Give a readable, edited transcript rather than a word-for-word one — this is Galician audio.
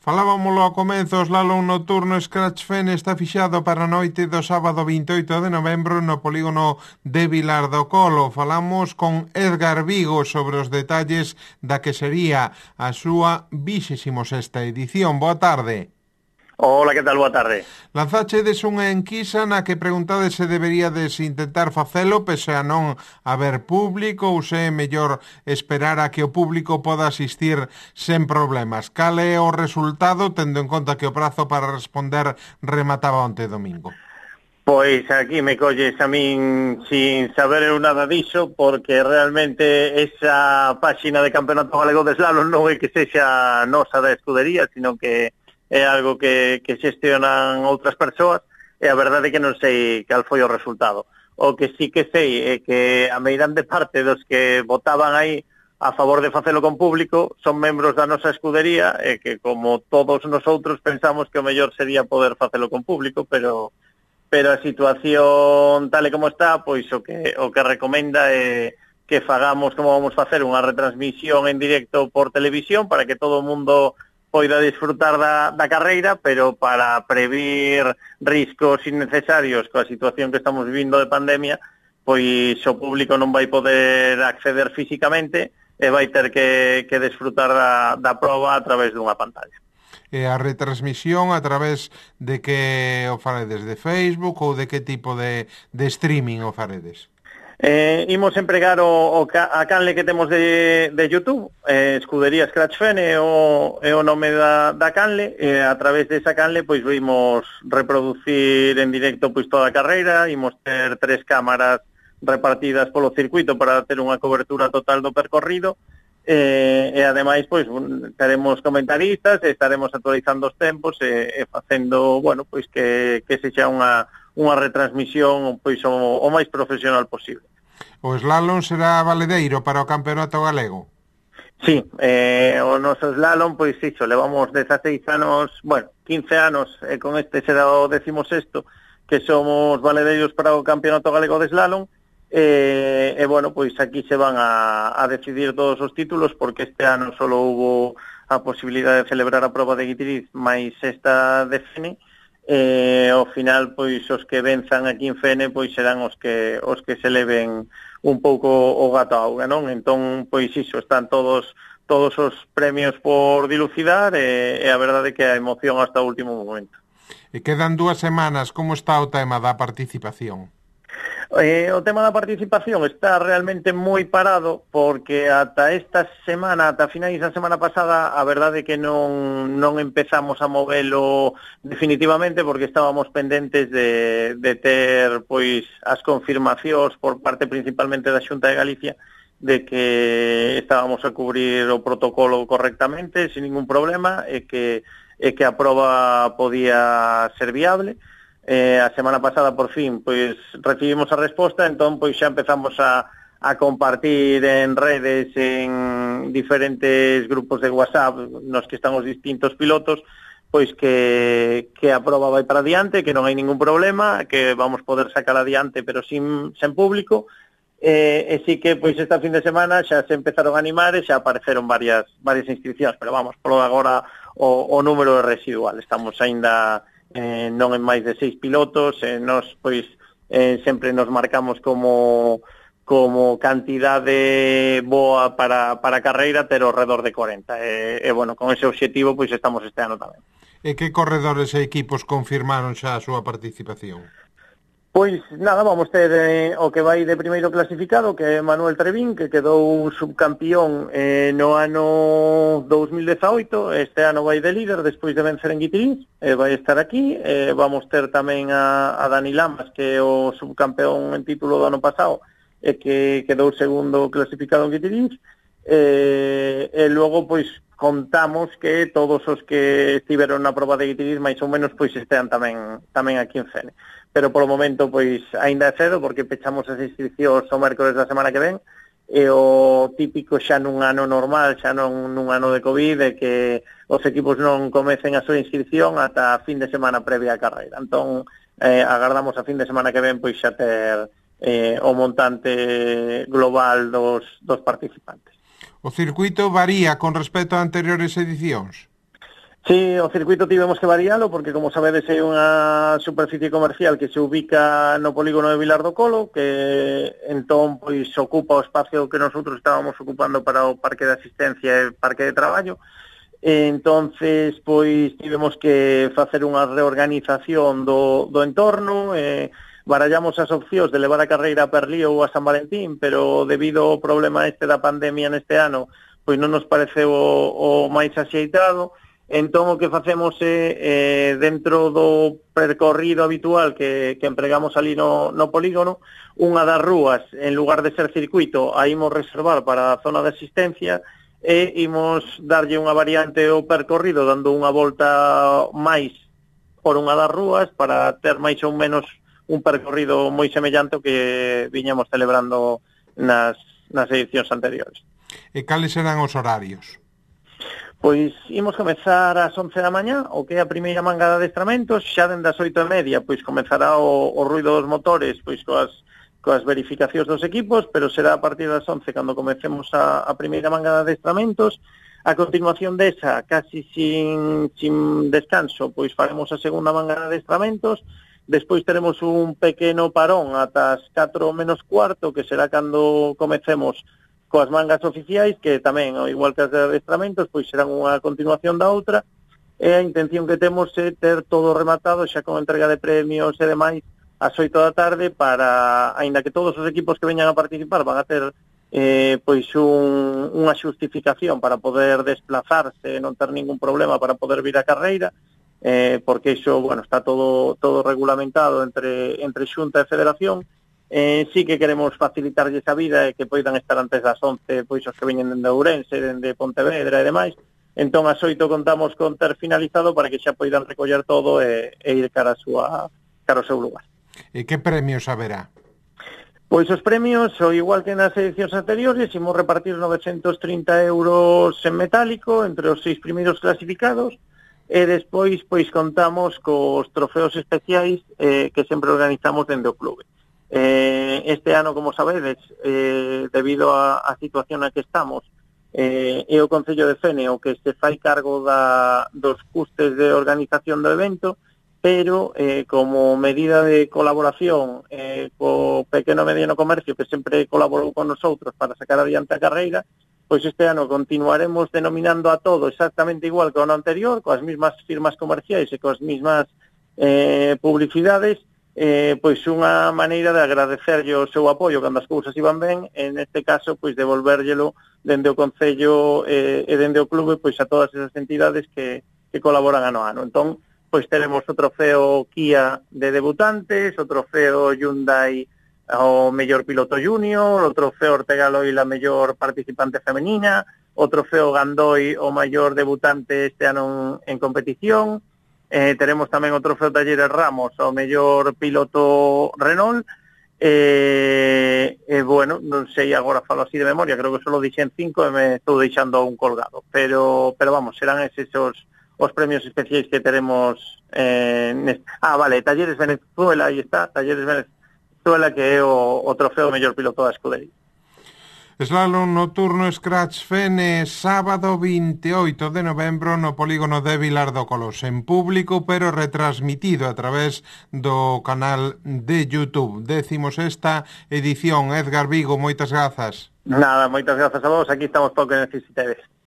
Falábamolo ao comezo, o slalom nocturno Scratch Fen está fixado para a noite do sábado 28 de novembro no polígono de Vilar do Colo. Falamos con Edgar Vigo sobre os detalles da que sería a súa 26ª edición. Boa tarde. Hola, que tal? Boa tarde. Lanzáchedes unha enquisa na que preguntades se deberíades intentar facelo pese a non haber público ou se é mellor esperar a que o público poda asistir sen problemas. Cal é o resultado, tendo en conta que o prazo para responder remataba onte domingo? Pois aquí me colles a min sin saber eu nada diso, porque realmente esa páxina de Campeonato Galego de Slalom non é que sexa nosa da escudería, sino que é algo que xestionan outras persoas, e a verdade é que non sei cal foi o resultado. O que sí que sei é que a meirande parte dos que votaban aí a favor de facelo con público son membros da nosa escudería, e que como todos nosotros pensamos que o mellor sería poder facelo con público, pero a situación tal e como está, pois o que recomenda é que fagamos como vamos facer unha retransmisión en directo por televisión para que todo o mundo poida disfrutar da carreira, pero para previr riscos innecesarios coa situación que estamos vivindo de pandemia, pois o público non vai poder acceder físicamente e vai ter que disfrutar da proba a través dunha pantalla. E a retransmisión a través de que o faredes, de Facebook ou de que tipo de streaming o faredes? Imos empregar a canle que temos de YouTube, Escudería Scratch Fen é o nome da canle, e a través desa canle pois vimos reproducir en directo pois toda a carreira, imos ter 3 cámaras repartidas polo circuito para ter unha cobertura total do percorrido, e ademais pois teremos comentaristas, estaremos actualizando os tempos e facendo, bueno, pois que sexa unha retransmisión pois o máis profesional posible. O slalom será valedeiro para o Campeonato Galego? Sí, o noso slalom, pois iso, levamos 16 anos, bueno, 15 anos, e con este será o 16º, que somos valedeiros para o Campeonato Galego de Slalom, e bueno, pois aquí se van a decidir todos os títulos, porque este ano só houbo a posibilidade de celebrar a proba de Guitiriz máis esta de Fene, ao final, pois, os que venzan aquí en Fene, pois, serán os que se leven un pouco o gato a auga, non? Entón, pois, iso, están todos os premios por dilucidar, e a verdade é que a emoción hasta o último momento. E quedan 2 semanas, como está o tema da participación? O tema da participación está realmente moi parado, porque ata esta semana, ata finais da semana pasada, a verdade é que non empezamos a movelo definitivamente, porque estábamos pendentes de ter pois as confirmacións por parte principalmente da Xunta de Galicia de que estábamos a cubrir o protocolo correctamente, sin ningún problema, e que a proba podía ser viable. A semana pasada, por fin, pois recibimos a resposta, entón pois xa empezamos a compartir en redes, en diferentes grupos de WhatsApp nos que están os distintos pilotos, pois que a proba vai para adiante, que non hai ningún problema, que vamos poder sacar adiante, pero sen público, e sí que pois esta fin de semana xa se empezaron a animar e xa apareceron varias inscripcións, pero vamos, por agora o número é residual, estamos aínda non en máis de 6 pilotos, nos pois sempre nos marcamos como cantidade boa para a carreira ter ao redor de 40, e bueno, con ese obxectivo pois estamos este ano tamén. E que corredores e equipos confirmaron xa a súa participación? Pois nada, vamos ter o que vai de primeiro clasificado, que é Manuel Trevín, que quedou subcampión no ano 2018, este ano vai de líder despois de vencer en Guitiriz, vai estar aquí. Vamos ter tamén a Dani Lamas, que é o subcampeón en título do ano pasado, e que quedou segundo clasificado en Guitiriz, e logo pois contamos que todos os que estiveron na proba de Guitiriz máis ou menos pois estean tamén aquí en Fene. Pero polo momento pois aínda é cedo, porque pechamos as inscripcións o mércores da semana que ven, e o típico xa nun ano normal, xa non nun ano de Covid, é que os equipos non comecen a súa inscripción ata a fin de semana previa á carreira. Entón, agardamos a fin de semana que ven pois xa ter o montante global dos participantes. O circuito varía con respecto a anteriores edicións? Sí, o circuito tivemos que varialo porque, como sabedes, é unha superficie comercial que se ubica no polígono de Vilar do Colo, que entón pois ocupa o espacio que nosotros estábamos ocupando para o parque de asistencia e parque de traballo. Entonces, pois tivemos que facer unha reorganización do entorno, barallamos as opcións de levar a carreira a Perlío ou a San Valentín, pero debido ao problema da pandemia neste ano, pois non nos pareceu o máis axeitado. Entón, o que facemos é, dentro do percorrido habitual que empregamos ali no polígono, unha das rúas, en lugar de ser circuito, a imos reservar para a zona de asistencia e imos darlle unha variante ao percorrido, dando unha volta máis por unha das rúas para ter máis ou menos un percorrido moi semellante ao que viñamos celebrando nas edicións anteriores. E cales serán os horarios? Pois imos comezar ás 11 da mañá, o que é a primeira manga de adestramentos, xa dende as 8:30, pois comezará o ruido dos motores, pois coas verificacións dos equipos, pero será a partir das 11 cando comecemos a primeira manga de adestramentos. A continuación desa, casi sin descanso, pois faremos a segunda manga de adestramentos, despois teremos un pequeno parón ata as 4 menos cuarto, que será cando comecemos coas mangas oficiais, que tamén, igual que as de adestramentos, pois serán unha continuación da outra, e a intención que temos é ter todo rematado xa con entrega de premios e demais ás 8 da tarde para, aínda que todos os equipos que veñan a participar van a ter pois unha xustificación para poder desplazarse, non ter ningún problema para poder vir a carreira, porque iso, bueno, está todo regulamentado entre Xunta e Federación. Sí que queremos facilitarlles a vida e que poidan estar antes das 11, pois os que veñen dende Ourense, dende Pontevedra e demais. Entón, ás 8 contamos con ter finalizado para que xa poidan recoller todo e ir cara ao seu lugar. E que premios haberá? Pois os premios, o igual que nas edicións anteriores, imos repartir 930 euros en metálico entre os 6 primeiros clasificados, e despois pois contamos cos trofeos especiais que sempre organizamos dende o clube. Este ano, como sabedes, debido á situación na que estamos, é o Concello de Fene o que se fai cargo dos custes de organización do evento, pero como medida de colaboración co pequeno e mediano comercio que sempre colaborou con nosotros para sacar adiante a carreira, pois este ano continuaremos denominando a todo exactamente igual que o ano anterior, coas mismas firmas comerciais e coas mismas publicidades, pois unha maneira de agradecerlle o seu apoio cando as cousas iban ben, en este caso pois devolvérllelo dende o Concello e dende o clube pois a todas esas entidades que colaboran ano a ano. Entón, pois teremos o trofeo Kia de debutantes, o trofeo Hyundai ao mellor piloto junior, o trofeo Ortega Loil a mellor participante femenina, o trofeo Gandoi o maior debutante este ano en competición. Teremos tamén o trofeo Talleres Ramos ao mellor piloto Renault, bueno, non sei agora falo así de memoria, creo que só lo dixen 5 e me estou deixando un colgado, pero vamos, serán eses os premios especiais que teremos vale, Talleres Venezuela, aí está, Talleres Venezuela, que é o trofeo mellor piloto da escudería. Slalom nocturno Scratch Fene, sábado 28 de novembro no polígono de Vilar do Colo, en público, pero retransmitido a través do canal de YouTube. Décimos esta edición. Edgar Vigo, moitas grazas. Nada, moitas grazas a vos, aquí estamos para o que necesitedes.